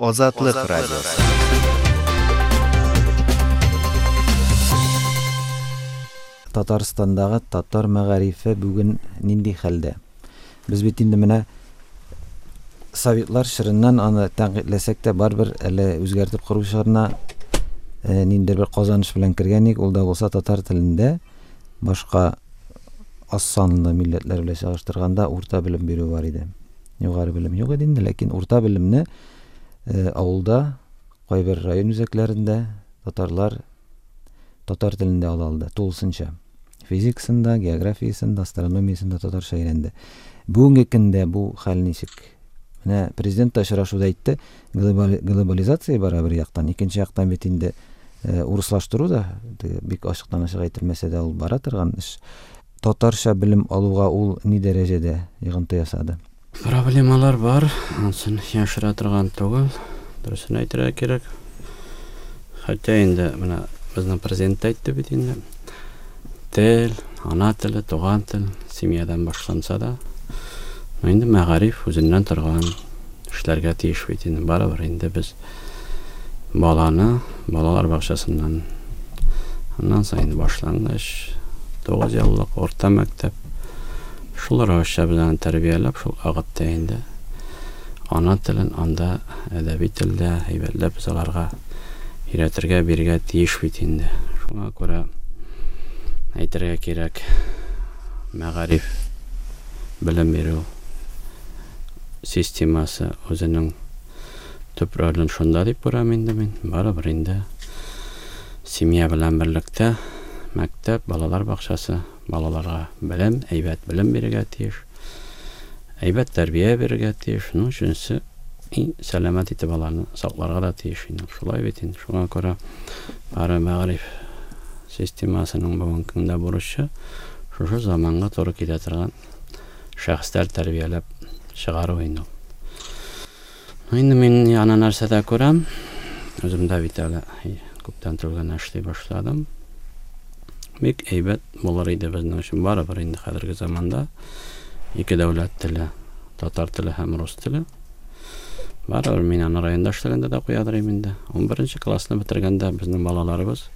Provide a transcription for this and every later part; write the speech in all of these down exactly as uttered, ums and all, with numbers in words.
Азатлык радиосы. Татарстандагы татар мәгарифе бүген нинди хәлдә? Без бит инде менә советлар чорыннан аны тәнкыйтьләсәк тә барыбер әле үзгәртеп кору чорына э, ниндидер бер казаныш белән кергән идек. Ул да булса татар телендә башка аз санлы милләтләр белән чагыштырганда урта белем бирү бар иде. Югары белем юк иде инде, ләкин урта белемне э, авылда, кайбер район үзәкләрендә татарлар татар телендә ала алды тулысынча. Физикасын да, географиясен дә, астрономиясен дә татарча өйрәнде. Бүгенге көндә бу хәл ничек? Менә президент та очрашуда әйтте, глобализация бара бер яктан, икенче яктан бит инде э, урыслаштыру да бик ачыктан ачык әйтелмәсә дә ул бара торган эш. Татарча белем алуга ул ни дәрәҗәдә йогынты ясады? Проблемалар бар, ансын яшерә торган түгел, дөресен әйтергә кирәк. Хәтта инде менә безнең президент әйтте бит инде. Тел, ана теле, туган тел семьядан башланса да, но инде мәгариф үзеннән торган эшләргә тиеш бит инде. Барыбер инде без баланы балалар бакчасыннан, аннан соң инде башлангыч, тугыз еллык урта мәктәп, шул рәвешчә без аны тәрбияләп, шул вакытта инде ана телен анда әдәби телдә әйбәтләп без аларга өйрәтергә, бирергә тиеш бит инде. Шуңа күрә әйтергә кирәк, мәгариф белем бирү системасы үзенең төп ролен шунда дип күрәм инде мин. Барыбер инде семья белән берлектә мәктәп, балалар бакчасы балаларга белем, әйбәт белем бирергә тиеш, әйбәт тәрбия бирергә тиеш. Ну, өченчесе, иң сәламәт итеп аларны сакларга да тиеш инде. Шулай бит инде. Шуңа күрә бары мәгариф системасының бүгенге көндә бурычы шушы заманга туры килә торган шәхесләр тәрбияләп чыгару инде. Инде мин яна нәрсәдә күрәм. Үзем дә бит әле күптән түгел генә эшли башладым. Бик әйбәт булыр иде безнең өчен барыбер инде хәзерге заманда ике дәүләт теле, татар теле һәм рус теле. Барыбер мин аны районда эшләгәндә дә куядыр идем инде. Ун беренче классны бетергәндә безнең балаларыбыз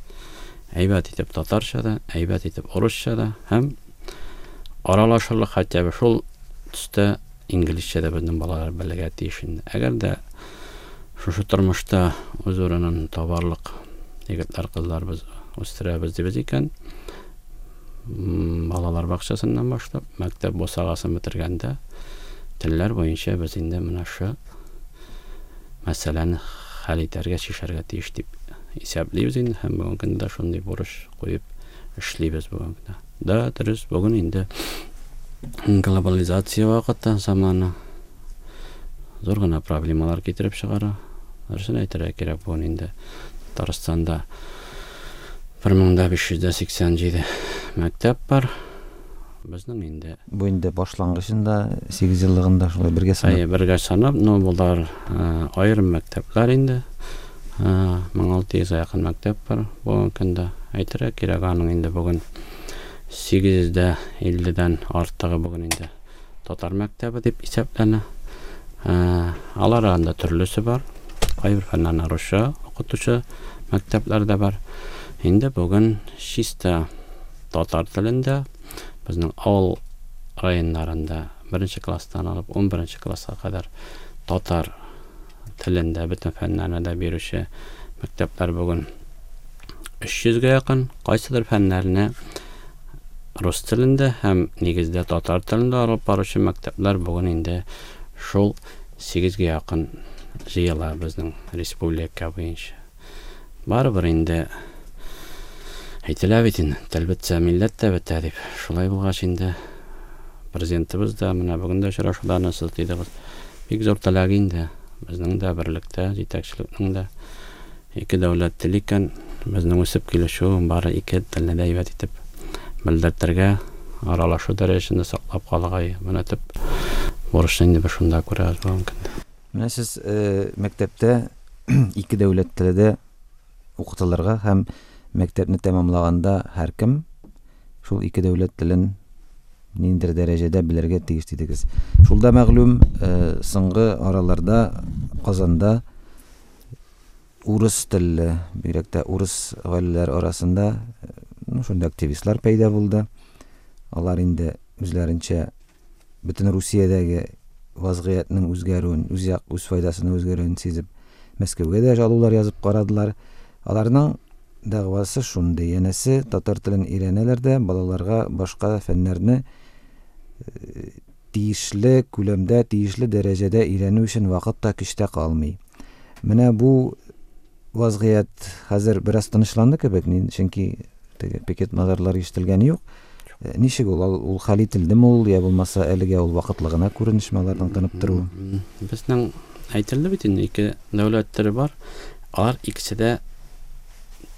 әйбәт итеп татарча да, әйбәт итеп урысча да һәм аралашырлык хотя бы шул төстә инглизчә дә безнең балалар белергә тиеш инде. Әгәр дә шушы тормышта үз урынын табарлык егетләр, кызлар без үстерәбез дибез икән, балалар бакчасыннан башлап, мәктәп бусагасын бетергәндә телләр буенча без инде менә шу мәсьәләне хәл итәргә, чишәргә тиеш дип исәплибез инде һәм бүгенге көндә шундый бурыч куеп эшлибез бүгенге көндә. Да, дөрес, бүген инде глобализация вакыты, заманы зур гына проблемалар китереп чыгара. Дөресен әйтергә кирәк, бүген инде Татарстанда бер мең дә биш йөз дә сиксән җиде мәктәп бар. Безнең инде бу инде башлангычында сигез еллыгында шулай бергә санап. Әйе, бергә санап, но булар аерым мәктәпләр инде. Мең алты йөзгә якын мәктәп бар бүгенге көндә. Әйтергә кирәк, аның инде бүген сигез йөз дә илледән артыгы бүген инде татар мәктәбе дип исәпләнә. Алар арасында төрлесе бар. Кайбер фәннәрне русча укытучы мәктәпләр дә бар. Инде бүген чиста татар телендә безнең авыл районнарында беренче класстан алып ун беренче класска кадәр татар телендә бөтен фәннәрне дә бирүче мәктәпләр бүген өч йөзгә якын. Кайсыдыр фәннәрне рус телендә һәм нигездә татар телендә алып баручы мәктәпләр бүген инде шул сигезгә якын җыела безнең республика буенча. Барыбер инде әйтелә бит инде, тел бетсә, милләт тә бетә дип. Шулай булгач инде президентыбыз да менә бүген дә очрашуда аны сез дидегез. Бик зур теләк инде безнең дә берлектә, җитәкчелекнең дә ике дәүләт теле икән, безнең үсеп килүче бары ике телне дә әйбәт итеп белдертергә, аралашу дәрәҗәсендә саклап калырга менә төп бурычны инде без шунда күрәбез бүгенге көндә. Менә сез, э, мәктәптә ике дәүләт теле дә укытылырга һәм мәктәпне тәмамлаганда һәркем шул ике дәүләт телен ниндидер дәрәҗәдә белергә тиеш дидегез. Шул да мәгълүм, э, соңгы араларда Казанда урыс телле, бигрәк тә урыс гаиләләр арасында ну, шундый активистлар пәйда булды. Алар инде үзләренчә бөтен Русиядәге вазгыятьнең үзгәрүен, үз як, үз файдасына үзгәрүен сизеп, Мәскәүгә дә жалулар язып карадылар. Аларның дәгъвасы шундый: янәсе, татар телен өйрәнәләр дә, балаларга башка фәннәрне тиешле күләмдә, тиешле дәрәҗәдә өйрәнү өчен вакыт та, көч тә калмый. Менә бу вазгыять хәзер бераз тынычланды кебек, чөнки теге пикет мазарлар ишетелгәне юк. Ничек ул? Ул хәл ителдеме ул, я булмаса әлегә ул вакытлы гына күренешме аларның тынып торуы? Безнең әйтелде бит инде, ике дәүләт теле бар. Алар икесе дә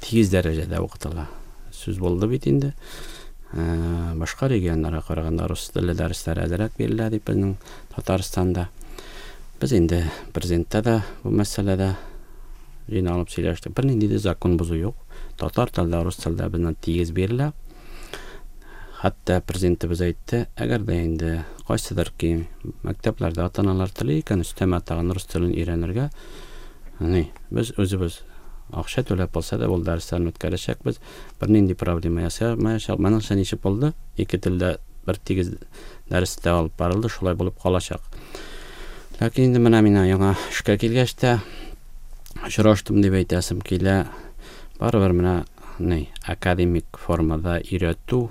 тигез дәрәҗәдә укытыла. Сүз булды бит инде. Башка регионнарга караганда рус теле дәресләре әзрәк бирелә дип безнең Татарстанда. Без инде президентта да бу мәсьәләдә җыйналып сөйләштек. Бернинди дә закон бозу юк. Татар телдә, рус телдә безнең тигез бирелә. Хәтта президентыбыз әйтте, әгәр дә инде кайсыдыр ки мәктәпләрдә ата-аналар тели икән, өстәмә тагын рус телен өйрәнергә, ни, без үзебез акча түләп булса да ул дәресләрне үткәрәчәкбез. Бернинди проблема ясамаячак. Моның ничек булды? Ике телдә бер тигез дәрестә алып барылды, шулай булып калачак. Ләкин инде менә мин яңа эшкә килгәч тә очраштым дип әйтәсем килә. Барыбер менә ни, академик формада өйрәтү,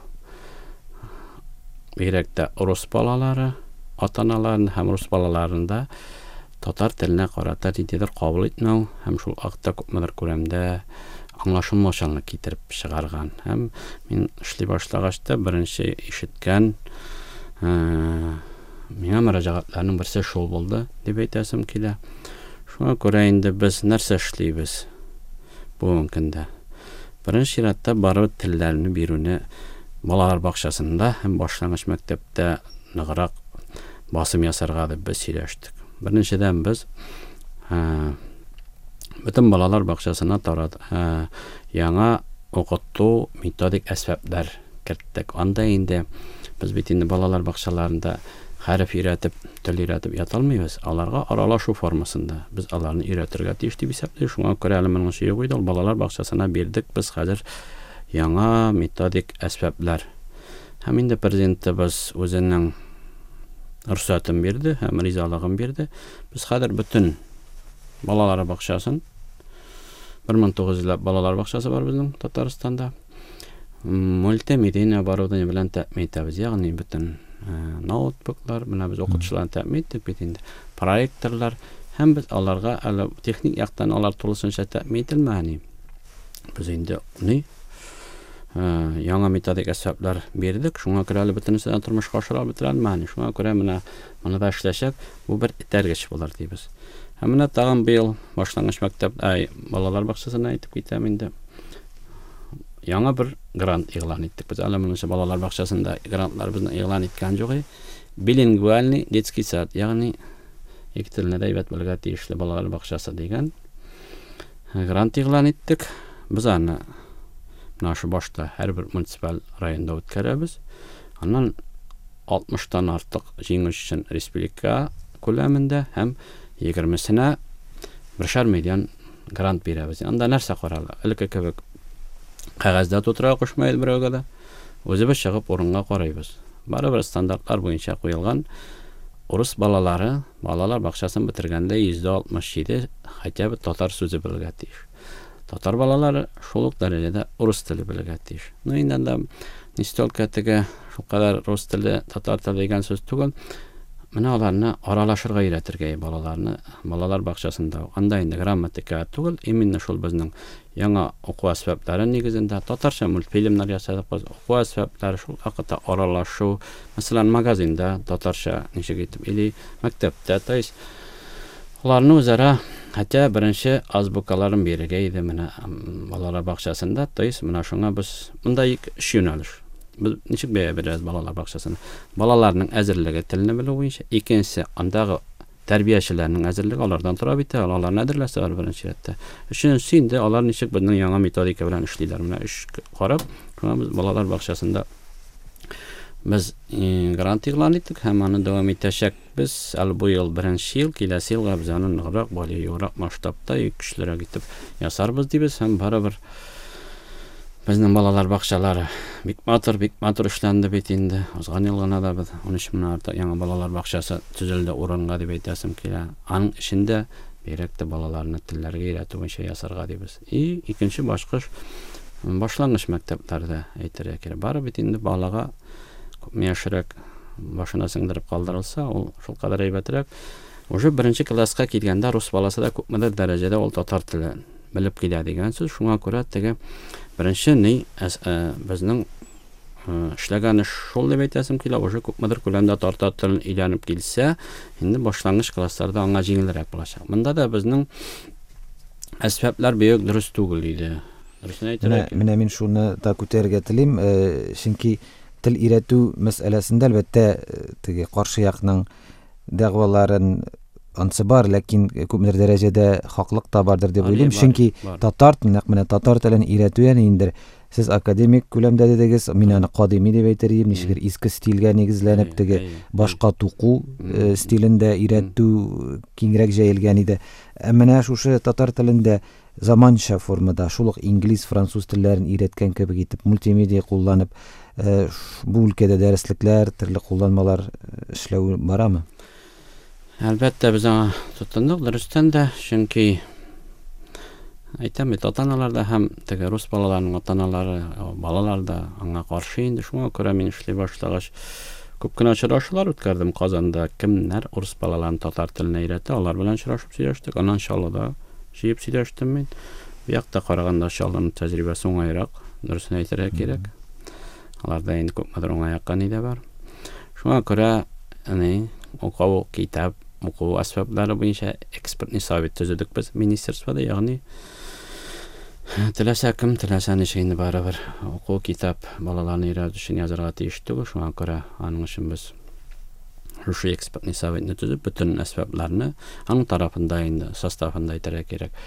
бигрәк тә рус балалары, ата-аналарын һәм рус балаларында татар теленә карата ниндидер кабул итмәү һәм шул акта күпмедер күләмдә аңлашылмаучанлык китереп чыгарган. Һәм мин эшли башлагач та беренче ишеткән миңа мөрәҗәгатьләрнең берсе шул булды дип әйтәсем килә. Шуңа күрә инде без нәрсә эшлибез бүгенге көндә? Беренче чиратта барыбер телләрне бирүне балалар бакчасында һәм башлангыч мәктәптә ныграк басым ясарга дип без сөйләштек. Беренчедән без бөтен балалар бакчасына тарат яңа укыту методик әсбаплар керттек. Анда инде без бит инде балалар бакчаларында хәреф өйрәтеп, тел өйрәтеп ята алмыйбыз. Аларга аралашу формасында без аларны өйрәтергә тиеш дип исәплибез. Шуңа күрә әле моның өчен юк иде, ул балалар бакчасына бирдек без хәзер яңа методик әсбаплар. Һәм инде президентыбыз үзенең рөхсәтен бирде һәм ризалыгын бирде. Без хәзер бөтен балалар бакчасын, бер мең тугыз йөзләп балалар бакчасы бар безнең Татарстанда, мультимедийный оборудование белән тәэмин итәбез. Ягъни бөтен ноутбуклар, менә без укытучыларны тәэмин иттек бит инде, проекторлар, һәм без аларга әле техник яктан алар тулысынча тәэмин ителмәгән. Без инде ни яңа методик әсбаплар бирдек. Шуңа күрә әле бөтенесе дә тормышка ашыра бетерелмәгән. Шуңа күрә менә моны да эшләсәк, бу бер этәргеч булыр дибез. Һәм менә тагын быел башлангыч мәктәп, ай, балалар бакчасына әйтеп китәм инде. Яңа бер грант игълан иттек. Без әле монысы балалар бакчасында грантлар безне игълан иткән юк. Билингвальный детский сад, ягъни ике телне дә әйбәт белергә тиешле балалар бакчасы дигән грант игълан иттек. Без аны менә шу башта һәрбер муниципаль районда үткәрәбез. Аннан алтмыштан артык җиңүче өчен республика күләмендә һәм егермесенә бершәр миллион грант бирәбез. Анда нәрсә карала? Элекке кебек кәгазьдә тутыра кушмый берәүгә дә. Үзебез чыгып урынга карыйбыз. Барыбер стандартлар буенча куелган урыс балалары балалар бакчасын бетергәндә йөздә алтмыш җиде хотя бы татар сүзе белергә тиеш. Татар балалары шул ук дәрәҗәдә урыс теле белергә тиеш. Ну инде анда не столько теге шул кадәр рус теле, татар теле дигән сүз түгел. Менә аларны аралашырга өйрәтергә балаларны балалар бакчасында. Анда инде грамматика түгел, именно шул безнең яңа уку әсбаплары нигезендә татарча мультфильмнар ясадык без. Уку әсбаплары шул вакытта аралашу, мәсәлән, магазинда татарча ничек итеп или мәктәптә, то есть аларны үзара хотя беренче азбукаларын бирергә иде менә балалар бакчасында, то есть менә шуңа без монда ике өч юнәлеш. Без ничек бәя бирәбез балалар бакчасына? Балаларның әзерлеге телне белү буенча, икенчесе андагы тәрбиячеләрнең әзерлеге, алардан тора бит, аларны әзерләсә алар беренче рәттә. Өченчесе инде алар ничек безнең яңа методика белән эшлиләр. Менә өч карап, шуңа без балалар бакчасында Без грант игълан иттек һәм аны дәвам итәчәкбез. Әле бу ел беренче ел, киләсе елга без аны ныграк, более масштабта, көчлерәк итеп ясарбыз дибез һәм барыбер безнең балалар бакчалары бик матур, бик матур эшләнде бит инде. Узган ел гына да без ун өч меңнән артык яңа балалар бакчасы төзелде урынга дип әйтәсем килә. Аның эчендә бигрәк тә балаларны телләргә өйрәтү буенча ясарга дибез. И икенче башкыш башлангыч мәктәпләрдә әйтергә кирәк. Бары бит инде балага күпме яшьрәк башына сеңдереп калдырылса, ул шул кадәр әйбәтрәк. Уже беренче класска килгәндә рус баласы да күпмедер дәрәҗәдә ул татар телен белеп килә дигән сүз. Шуңа күрә теге беренче ни безнең эшләгән эш шул дип әйтәсем килә, уже күпмедер күләмдә татар телен өйрәнеп килсә, инде башлангыч классларда аңа җиңелрәк булачак. Монда да безнең әсбаплар бик дөрес түгел иде. Дөресен әйтергә кирәк. Менә мин шуны да күтәрергә телим, чөнки тел өйрәтү мәсьәләсендә әлбәттә теге каршы якның дәгъваларын ансы бар, ләкин күпмедер дәрәҗәдә хаклык та бардыр дип уйлыйм. Чөнки татар, нәкъ менә татар телен өйрәтү яни инде сез академик күләмдә дидегез, мин аны кадими дип әйтер идем, ничектер иске стильгә нигезләнеп теге башка туку стилендә өйрәтү киңрәк җәелгән иде. Ә менә шушы татар телендә заманча формада шул ук инглиз, француз телләрен өйрәткән кебек итеп мультимедиа кулланып бу өлкәдә дәреслекләр, төрле кулланмалар эшләү барамы? Әлбәттә, без аңа тотындык, дөрестән дә, чөнки әйтәм бит, ата-аналар да һәм теге рус балаларының ата-аналары, балалар да аңа каршы инде. Шуңа күрә мин эшли башлагач күп кенә очрашулар үткәрдем Казанда. Кемнәр урыс балаларын татар теленә өйрәтә, алар белән очрашып сөйләштек. Аннан Чаллыда җыеп сөйләштем мин. Бу якта караганда Чаллының тәҗрибәсе уңайрак, дөресен әйтергә кирәк. Аларда инде күпмедер уңай якка ни дә бар. Шуңа күрә, ни, уку китап, уку әсбаплары буенча экспертный совет төзедек без министерствода, ягъни теләсә кем, теләсә ничек инде барыбер уку китап балаларны өйрәтү өчен язарга тиеш түгел. Шуңа күрә аның өчен без шушы экспертный советны төзеп, бөтен әсбапларны аның тарафында инде составында әйтергә кирәк.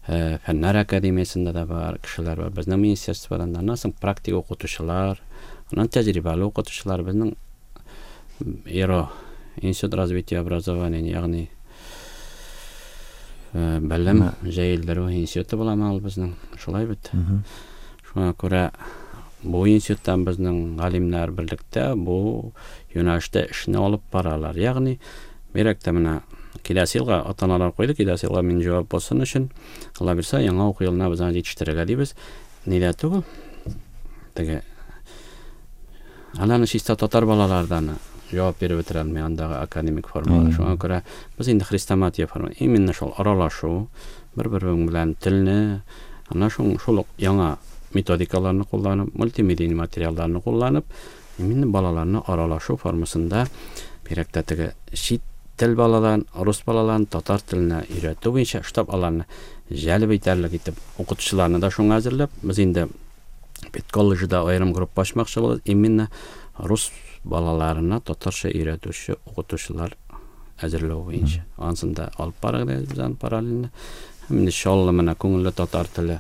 Фәннәр академиясендә дә бар кешеләр бар, безнең министерстводан да, аннан соң практик укытучылар, аннан тәҗрибәле укытучылар, безнең ИРО, Институт развития образования, ягъни белем җәелдерү институты буламы ул безнең, шулай бит. Шуңа күрә бу институттан безнең галимнәр берлектә бу юнәлештә эшне алып баралар. Ягъни бигрәк тә менә киләсе елга ата-аналар куйды, киләсе елга мин җавап булсын өчен, Алла бирсә, яңа уку елына без аны җитештерергә дибез. Нидә түгел? Теге аларны чиста татар балалардан җавап биреп бетерә алмый андагы академик формалар. Шуңа күрә без инде хрестоматия форма, именно шул аралашу, бер-берең белән телне, ана шул, шул ук яңа методикаларны кулланып, мультимедийный материалларны кулланып, именно балаларны аралашу формасында бигрәк тә теге чит тел балаларын, рус балаларын татар теленә өйрәтү буенча штаб аларны җәлеп итәрлек итеп укытучыларны да шуңа әзерләп, без инде педколледжда аерым группа ачмакчы булабыз, именно рус балаларына татарча өйрәтүче укытучылар әзерләү буенча. Анысын да алып барырга без аны параллельно. Һәм инде Чаллы менә күңелле татар теле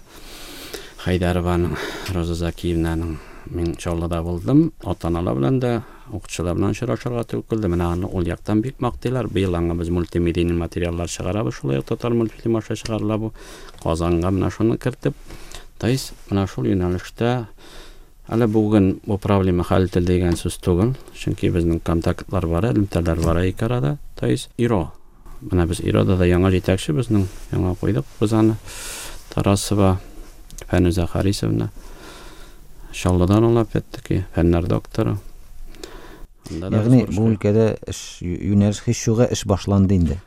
Хәйдәрованың, Роза Закиевнаның мин Чаллыда булдым, ата-аналар белән дә, укытучылар белән очрашырга туры килде. Менә аны ул яктан бик мактыйлар. Быел аңа без мультимедийный материаллар чыгарабыз, шулай ук татар мультфильм аша чыгарыла бу. Казанга менә шуны кертеп, то есть менә шул юнәлештә әле бүген бу проблема хәл ителде дигән сүз түгел, чөнки безнең контактлар бар, элемтәләр бар ике арада. То есть ИРО. Менә без ИРОда да яңа җитәкче безнең, яңа куйдык без аны. Тарасова Фәнүзә Харисовна. Чаллыдан ул опять-таки фәннәр докторы. Ягъни бу өлкәдә эш юнәлеш һич югы эш башланды инде.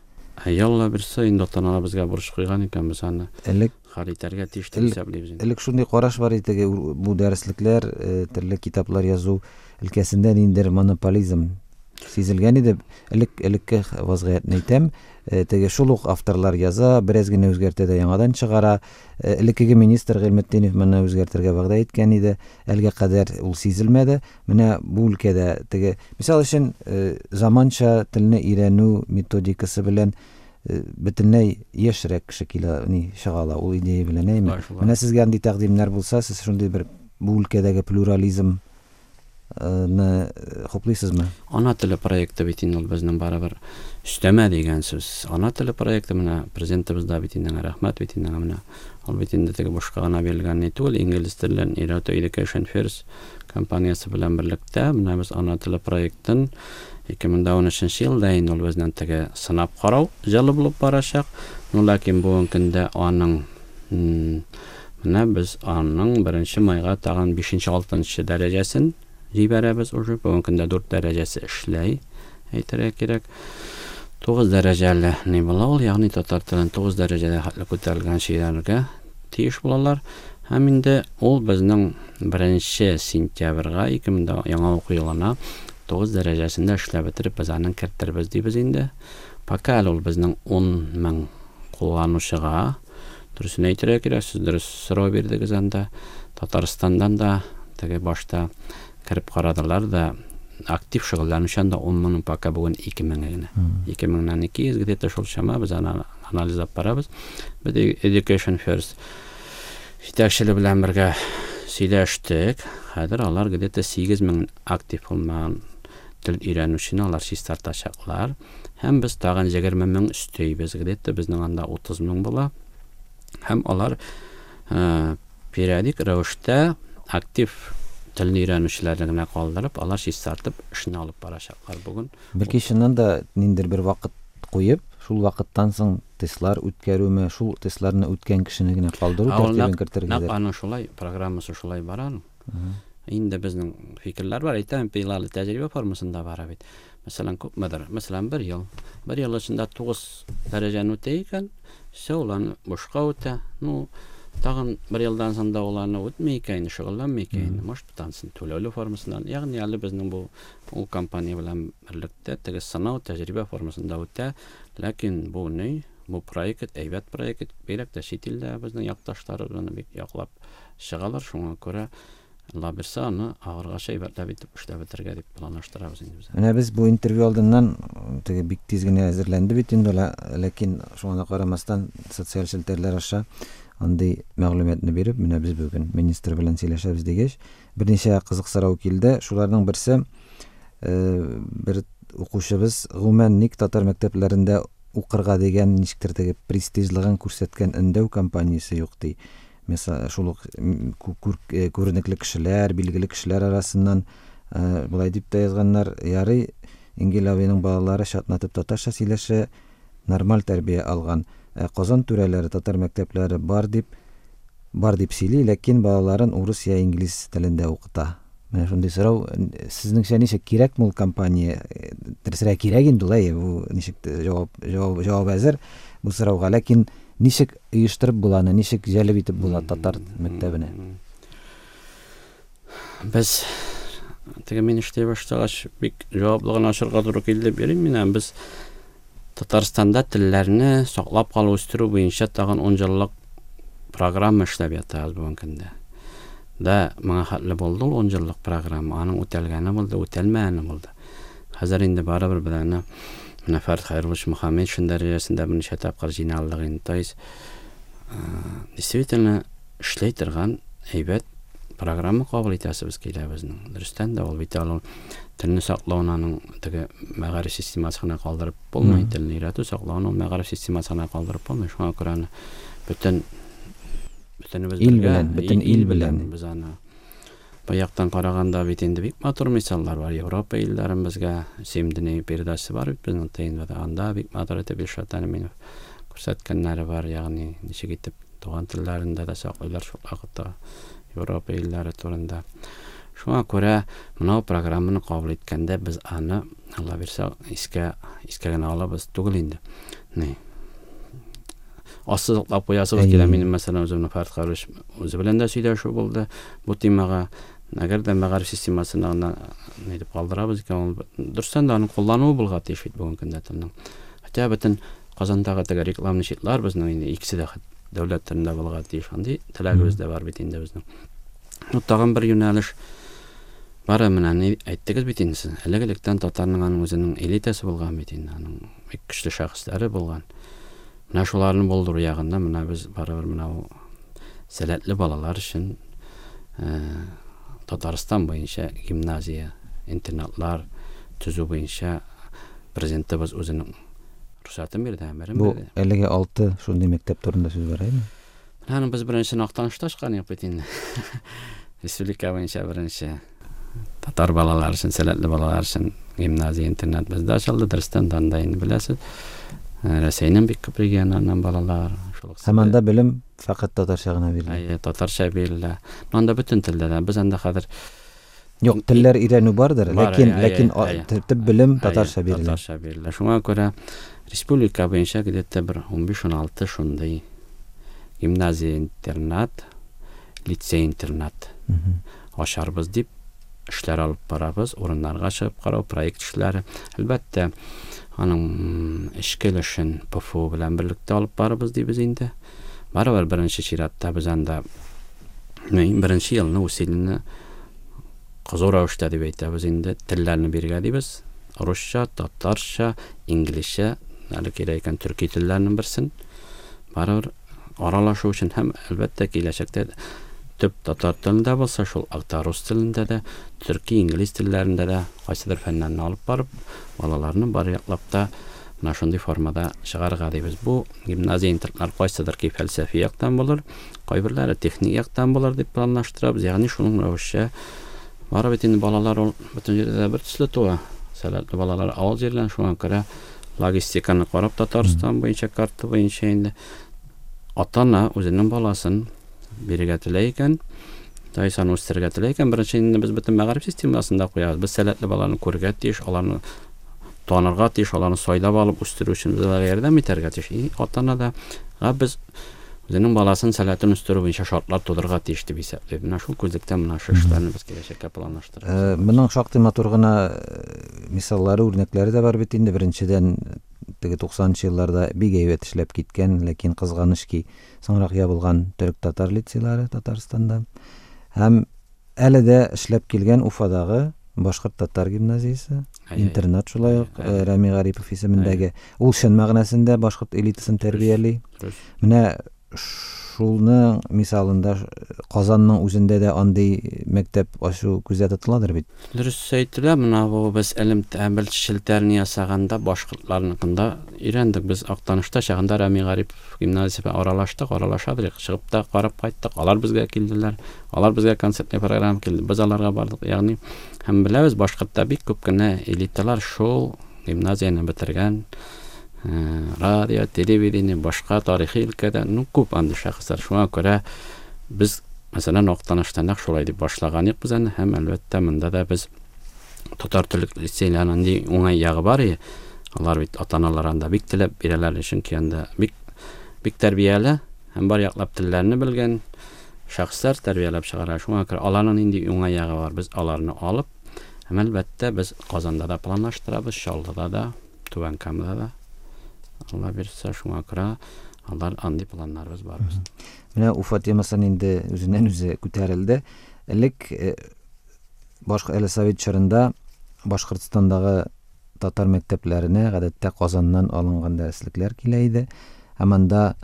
Ялла берсе инде ата-аналар безгә бурыч куйган икән, без аны элек хәл итәргә тиеш дип исәплибез инде. Элек шундый караш бар иде, бу дәреслекләр, төрле китаплар язу өлкәсендә ниндидер монополизм сизелгән иде. Элек элекке вазгыятьне әйтәм, теге шул ук авторлар яза, бераз генә үзгәртә дә яңадан чыгара. Элеккеге министр Гыйльметдинов моны үзгәртергә вәгъдә иткән иде. Әлгә кадәр ул сизелмәде. Менә бу өлкәдә теге, мисал өчен, заманча телне өйрәнү методикасы белән бөтенләй яшьрәк кеше килә, ни чыга ала ул идея белән, әйме? Менә сезгә андый тәкъдимнәр булса, сез шундый бер бу өлкәдәге плюрализм хуплыйсызмы? Ана теле проекты бит инде ул безнең барыбер өстәмә дигән сүз. Ана теле проекты менә президентыбыз да бит инде рәхмәт бит инде менә. Ул бит инде теге бушка гына бирелгән ни түгел, инглиз телен өйрәтү Education First компаниясе белән берлектә менә без ана теле проектын ике мең дә унөченче елда инде ул безнең теге сынап карау җылы булып барачак. Ну, ләкин бүгенге көндә аның, менә без аның беренче майга тагын бишенче, алтынчы дәрәҗәсен җибәрәбез уже. Бүгенге көндә дүрт дәрәҗәсе эшләй, әйтергә кирәк. Тугыз дәрәҗәле ни була ул, ягъни татар телен тугыз дәрәҗәдә хәтле күтәрелгән шигырьләргә тиеш булалар. Һәм инде ул безнең беренче сентябрьгә ике мең дә яңа уку елына тугыз дәрәҗәсендә эшләп бетереп без аны кертербез дибез инде. Пока әле ул безнең ун мең кулланучыга, дөресен әйтергә кирәк, сез дөрес сорау бирдегез анда. Татарстандан да теге башта кереп карадылар да, актив шөгыльләнүчән дә ун меңнең пока бүген ике меңе генә. Ике меңнән ике йөз где-то шул чама без аны анализлап барабыз. Без Education First җитәкчелеге белән бергә сөйләштек. Хәзер алар где-то сигез мең актив булмаган тел өйрәнүчене алар чистартачаклар. Һәм без тагын егерме мең өстәйбез, где-то безнең анда утыз мең була. Һәм алар, э, периодик рәвештә актив телне өйрәнүчеләрне генә калдырып, алар чистартып эшне алып барачаклар бүген. Бәлки чыннан да ниндидер бер вакыт куеп, шул вакыттан соң тестлар үткәрүме, шул тестларны үткән кешене генә калдыру Ә ул тәртибен нәкъ кертергә нәкъ дә. аның шулай программасы шулай бара аның. Мгм. Инде безнең фикерләр бар, әйтәм, пилалы тәҗрибә формасында бара бит. Мәсәлән, күпмедер? Мәсәлән, бер ел. Бер ел эчендә тугыз дәрәҗәне үтә икән, всё, ул аны бушка үтә. Ну, тагын бер елдан соң да ул аны үтми икән, шөгыльләнми икән, Мгм. может, тансын түләүле формасыннан. Ягъни әле безнең бу ул компания белән берлектә теге сынау тәҗрибә формасында үтә. Ләкин бу ни? Бу проект әйбәт проект, бигрәк тә чит илдә безнең якташларыбыз аны бик яклап чыгалар. Шуңа күрә Алла бирсә, аны ахыргача әйбәтләп итеп эшләп бетерергә дип планлаштырабыз инде без. Менә без бу интервью алдыннан теге бик тиз генә әзерләнде бит инде, ләкин шуңа да карамастан социаль челтәрләр аша андый мәгълүматны биреп, менә без бүген министр белән сөйләшәбез дигәч, берничә кызык сорау килде. Шуларның берсе, э, бер укучыбыз гомумән ник татар мәктәпләрендә укырга дигән ничектер теге престижлыгын күрсәткән өндәү кампаниясе юк ди. Мисал, шул ук, м, ку-, күр-, э, күренекле кешеләр, билгеле кешеләр арасыннан, э, болай дип тә язганнар, ярый, Ингел абыйның балалары чатнатып татарча сөйләшә, нормаль тәрбия алган. Э, Казан түрәләре татар мәктәпләре бар дип, бар дип сөйли, ләкин балаларын урыс я инглиз телендә укыта. Менә шундый сорау, сезнеңчә ничек кирәкме ул кампания? Э, дөресрәк кирәк инде ул, әйе, бу ничек тә җавап, җавап, җавап әзер бу сорауга, ләкин ничек оештырып була аны, ничек җәлеп итеп була татар мәктәбенә? Без теге мин эшли башлагач бик җаваплыгын ачырга туры килде дип йөрим мин. Без Татарстанда телләрне саклап калу, үстерү буенча тагын ун еллык программа эшләп ятабыз бүгенге көндә. Да, моңа хәтле булды ул ун еллык программа, аның үтәлгәне булды, үтәлмәгәне булды. Хәзер инде барыбер без аны менә Фәрит Хәйруллович Мөхәммәтшин дәрәҗәсендә берничә тапкыр җыйналдык инде. То есть, э, действительно эшләй торган әйбәт программа кабул итәсебез килә безнең. Дөрестән дә ул бит ул телне саклауны аның теге мәгариф системасы гына калдырып булмый, Мгм. телне өйрәтү саклауны ул мәгариф системасы гына калдырып булмый. Шуңа күрә аны бөтен, бөтенебез Ил бергә, белән, бөтен ил ил белән. белән без аны бу яктан караганда бит инде бик матур мисаллар бар. Европа илләрен безгә Семь дней передачасы бар бит безнең Т Н Вда. Анда бик матур итеп Илшат Әминов күрсәткәннәре бар, ягъни ничек итеп туган телләрендә дә саклыйлар шул вакытта Европа илләре турында. Шуңа күрә менә бу программаны кабул иткәндә без аны, Алла бирсә, искә, искә генә алабыз түгел инде. Ни? Ассызыклап куясыбыз килә. Әйе. Минем, мәсәлән, үземнең Фәрит Хәйруллович үзе белән дә сөйләшү булды бу темага. Әгәр дә мәгариф системасын аны ни дип калдырабыз икән, ул дөрестән дә аның куллануы булырга тиеш бит бүгенге көндә телнең. Хотя бөтен Казандагы теге рекламный щитлар безнең инде икесе дә дәүләт телендә булырга тиеш. Андый теләгебез дә бар бит инде безнең. Ну, тагын бер юнәлеш бар, менә ни әйттегез бит инде сез. Элек-электән татарның аның үзенең элитасы булган бит инде, аның бик көчле шәхесләре булган. Менә шуларны булдыру ягында менә без барыбер менә ул сәләтле балалар өчен, э, Татарстан буенча гимназия, интернатлар төзү буенча президентыбыз үзенең рөхсәтен бирде, әмерен Бу бирде. әлеге алты шундый мәктәп турында сүз бара име? Менә аны без беренче Актанышта ачкан идек бит инде. Республика буенча беренче татар балалары өчен, сәләтле балалар өчен гимназия, интернат бездә ачылды. Дөрестән дә анда инде беләсез, Рәсәйнең бик күп регионнарыннан балалар. Шул ук Һәм анда белем фәкать татарча гына бирелә. Әйе, татарча бирелә. Но анда бөтен телдә дә. Без анда хәзер Юк, телләр өйрәнү бардыр, Бар, ләкин, әйе, ләкин әйе, а, төп белем Әйе, татарча бирелә. Татарча бирелә. Шуңа күрә республика буенча где-то бер унбиш-ун алты шундый гимназия, интернат, лицей, интернат Мгм. ачарбыз дип эшләр алып барабыз, урыннарга чыгып карау, проект эшләре. Әлбәттә, аның эчке өлешен П Ф У белән берлектә алып барабыз дибез инде. Барыбер беренче чиратта без анда беренче елны усилине кызу рәвештә дип әйтәбез инде, телләрне биргә дибез. Русча, татарча, инглизчә, әле кирәк икән төрки телләрнең берсен. Барыбер аралашу өчен һәм әлбәттә киләчәктә төп татар телендә булса, шул акта рус телендә дә, төрки, инглиз телләрендә дә кайсыдыр фәннәрне алып барып, балаларны бар яклап та менә шундый формада чыгарырга дибез. Бу гимназия интернатлар кайсыдыр ки фәлсәфи яктан булыр, кайберләре техник яктан булыр дип планлаштырабыз. Ягъни шуның рәвешчә бары бит инде балалар ул бөтен җирдә дә бер төсле туа. Сәләтле балалар авыл җирләрен, шуңа күрә логистиканы карап Татарстан буенча, карта буенча инде ата-ана үзенең баласын бирергә теләй икән, Тайсан үстерергә теләй икән, беренче инде без бөтен мәгариф системасында куябыз. Без сәләтле балаларны күрергә тиеш, аларны танырга тиеш, аларны сайлап алып үстерү өчен без аларга ярдәм итәргә тиеш. И ата-ана да га без үзенең баласын сәләтен үстерү буенча шартлар тудырырга тиеш дип исәплибез. Менә шул күзлектән менә шу эшләрне без киләчәккә планлаштырабыз. Э, моның шактый матур гына, э, мисаллары, үрнәкләре дә бар бит инде. Беренчедән, теге туксанынчы елларда бик әйбәт эшләп киткән, ләкин кызганыч ки, соңрак ябылган төрек-татар лицейлары Татарстанда. Һәм әле дә эшләп килгән Уфадагы башкорт-татар гимназиясе, Әйе, интернат шулай ук, әйе. э, Рәми Гарипов исемендәге. Ул чын мәгънәсендә башкорт элитасын тәрбияли. Дөрес. Менә шулның мисалында Казанның үзендә дә андый мәктәп ачу күздә тотыладыр бит. Дөрес әйтелә, менә бу без элемтә бел челтәрне ясаганда башкортларныкында өйрәндек. Без Актанышта чагында Рәми Гарипов гимназиясе белән аралаштык, аралашадык, чыгып та карап кайттык. Алар безгә килделәр, алар безгә концертный программа килде, без аларга бардык. Ягъни һәм беләбез, башкортта бик күп кенә элиталар шул гимназияне бетергән, э, радио, телевидение, башка тарихи өлкәдә, ну, күп андый шәхесләр. Шуңа күрә без, мәсәлән, Актаныштан нәкъ шулай дип башлаган идек без аны, һәм әлбәттә монда да без татар телле лицейларының нинди уңай ягы бар иде. Алар бит ата-аналар анда бик теләп бирәләр, чөнки анда бик, бик тәрбияле һәм бар яклап телләрне белгән шәхесләр тәрбияләп чыгара. Шуңа күрә аларның нинди уңай ягы бар, без аларны алып, һәм әлбәттә без Казанда да планлаштырабыз, Чаллыда да, Түбән Камада да. Алла бирсә, шуңа күрә алар андый планнарыбыз бар безнең. Менә Уфа темасын инде үзеннән үзе күтәрелде. Элек, э, башка әле совет чорында Башкортстандагы татар мәктәпләренә гадәттә Казаннан алынган дәреслекләр килә иде. Һәм анда,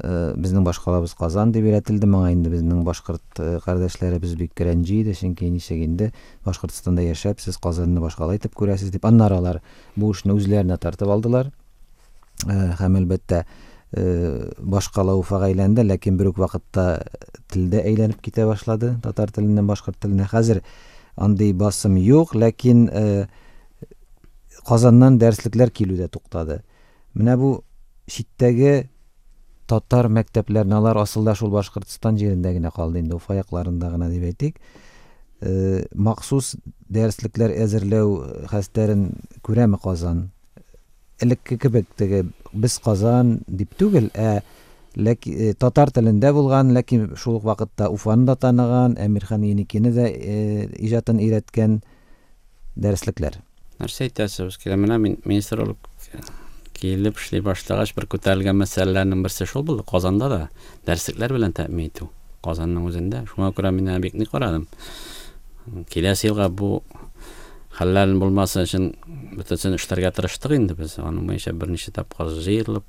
э, безнең башкалабыз Казан дип өйрәтелде. Моңа инде безнең башкорт, э, кардәшләребез бик рәнҗи иде, чөнки ничек инде Башкортстанда яшәп, сез Казанны башкала итеп күрәсез дип. Аннары алар бу эшне үзләренә тартып алдылар. Э, һәм әлбәттә, э, башкала Уфага әйләнде, ләкин бер үк вакытта телдә әйләнеп китә башлады, татар теленнән башкорт теленә. Хәзер андый басым юк, ләкин, э, Казаннан дәреслекләр килү дә туктады. Менә бу читтәге татар мәктәпләренә алар асылда шул Башкортстан җирендә генә калды инде, Уфа якларында гына дип әйтик. Э, махсус дәреслекләр әзерләү хәстәрен күрәме Казан? Элекке кебек теге без Казан дип түгел, ә ләки, э, татар телендә булган, ләкин шул ук вакытта Уфаны да таныган, Әмирхан Еникине дә, э, иҗатын өйрәткән дәреслекләр. Нәрсә әйтәсез килә? Менә мин министр булып килеп эшли башлагач, бер күтәрелгән мәсьәләләрнең берсе шул булды. Казанда да дәреслекләр белән тәэмин итү. Казанның үзендә. Шуңа күрә мин аны бик нык карадым. Киләсе елга бу хәлләрнең булмасын өчен бөтенсен эшләргә тырыштык инде без. Аның буенча берничә тапкыр җыелып,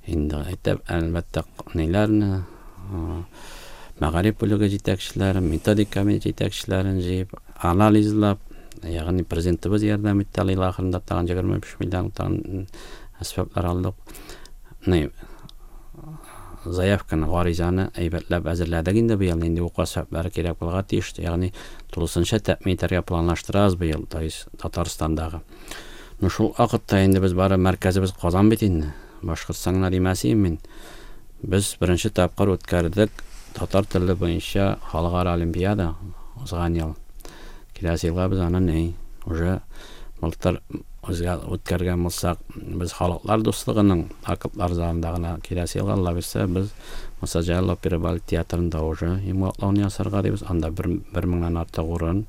инде әйтеп, әлбәттә, ниләрне, а, мәгариф бүлеге җитәкчеләрен, методик комитет җитәкчеләрен җыеп, анализлап, ягъни президентыбыз ярдәм итте, ел ахырында тагын егерме биш миллион тагын әсбаплар алдык. Ни заявканы, гаризаны әйбәтләп әзерләдек инде быел, нинди уку әсбаплары кирәк булырга тиеш, ягъни тулысынча тәэмин итәргә планлаштырабыз быел, то есть Татарстандагы. Ну шул вакытта инде без бары мәркәзебез Казан бит инде. Башкортстан гына димәсем мин. Без беренче тапкыр үткәрдек татар теле буенча халыкара олимпиада узган ел. Киләсе елга без аны ни, уже былтыр үзгә үткәргән булсак, без халыклар дуслыгының актлар залында гына киләсе елга Алла бирсә, без Муса Җәлил опера балет театрында уже йомгаклауны ясарга дибез. Анда бер, бер меңнән артык урын.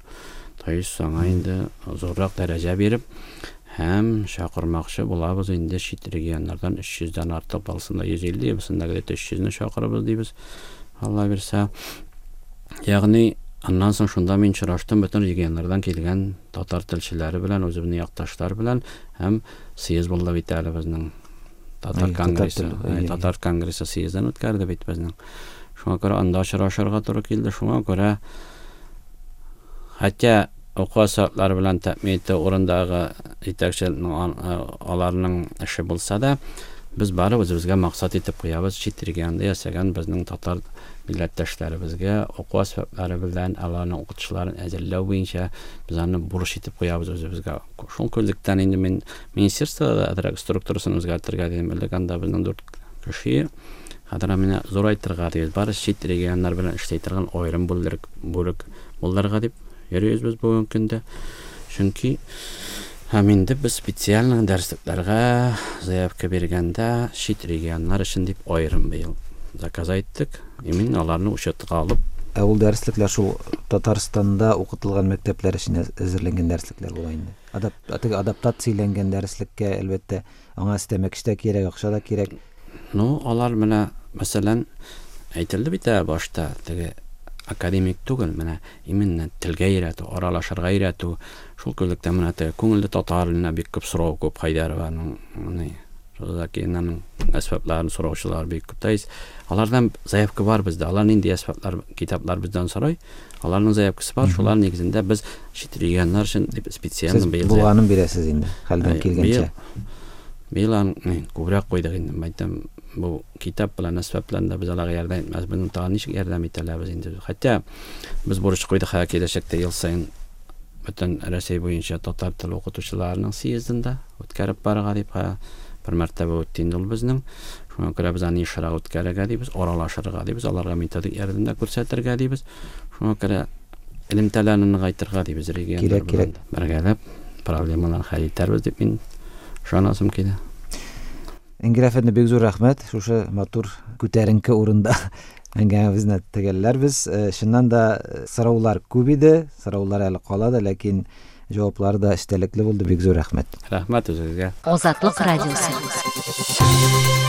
То есть аңа инде зуррак дәрәҗә биреп һәм чакырмакчы булабыз инде чит регионнардан өч йөздән артык, балсында йөз илле, бусында где-то өч йөзне чакырабыз дибез. Алла бирсә. Ягъни аннан соң шунда мин очраштым бөтен регионнардан килгән татар телчеләре белән, үзебезнең якташлар белән һәм съезд булды бит әле безнең. Татар Әй, конгрессы, татар теле, әй, әй, татар конгрессы съездын үткәрде бит безнең. Шуңа күрә анда очрашырга туры килде. Шуңа күрә хәтта уку сәгатьләре белән тәэмин итү урындагы җитәкчелекнең, аларның эше булса да, без бары үзебезгә максат итеп куябыз, чит регионда яшәгән безнең татар милләттәшләребезгә уку әсбаплары белән аларның укытучыларын әзерләү буенча без аны бурыч итеп куябыз үзебезгә. Шул күзлектән инде мин министерствода әзрәк структурасын үзгәртергә дидем. Элек анда безнең дүрт кеше, хәзер менә зурайтырга дибез. Бары чит регионнар белән эшли торган аерым бүлек, бүлек булырга дип йөрибез без бүгенге көндә. Чөнки һәм инде без специаль дәреслекләргә заявка биргәндә чит регионнар өчен дип аерым быел заказ айттык. Именно аларны учетка алып. Ә ул дәреслекләр шул Татарстанда укытылган мәктәпләр өчен әзерләнгән дәреслекләр була инде. Адап-, теге адаптацияләнгән дәреслеккә әлбәттә аңа өстәмә көч тә кирәк, акча да кирәк. Ну, алар менә, мәсәлән, әйтелде бит ә башта, теге академик түгел, менә именно телгә өйрәтү, аралашырга өйрәтү. Шул күзлектән менә теге күңелле татар теленә бик күп сорау күп Хайдарованың, ни, Розакинаның әсбапларын сораучылар бик күп. То есть алардан заявка бар бездә. Алар нинди әсбаплар, китаплар бездән сорай. Аларның заявкасы бар. Шулар нигезендә без чит регионнар өчен дип специально Сез быел булганын бирәсез инде, хәлдән Әй, килгәнчә. Быел аны күбрәк куйдык инде. Мин әйтәм, бу китап белән әсбап белән дә без аларга ярдәм итмәс. Безнең тагын ничек ярдәм итә алабыз инде. Хәтта без бурыч куйдык, хәзер киләчәктә ел саен бөтен Рәсәй буенча татар теле укытучыларының съездында үткәреп барырга дип, ха, бер мәртәбә үтте инде ул безнең. Шуңа күрә без аны ешрак үткәрергә дибез, аралашырга дибез, аларга методик ярдәм дә күрсәтергә дибез. Шуңа күрә элемтәләрне ныгайтырга дибез регионнар Кирәк, белән кирәк. Бергәләп проблемаларны хәл итәрбез дип мин ышанасым килә. Энгель әфәнде, бик зур рәхмәт. Шушы матур күтәренке урында әңгәмәбезне төгәлләрбез. Э, чыннан да, э, сораулар күп иде, сораулар әле кала да, ләкин җаваплары да эчтәлекле булды. Бик зур рәхмәт. Рәхмәт үзегезгә. Азатлык радиосы.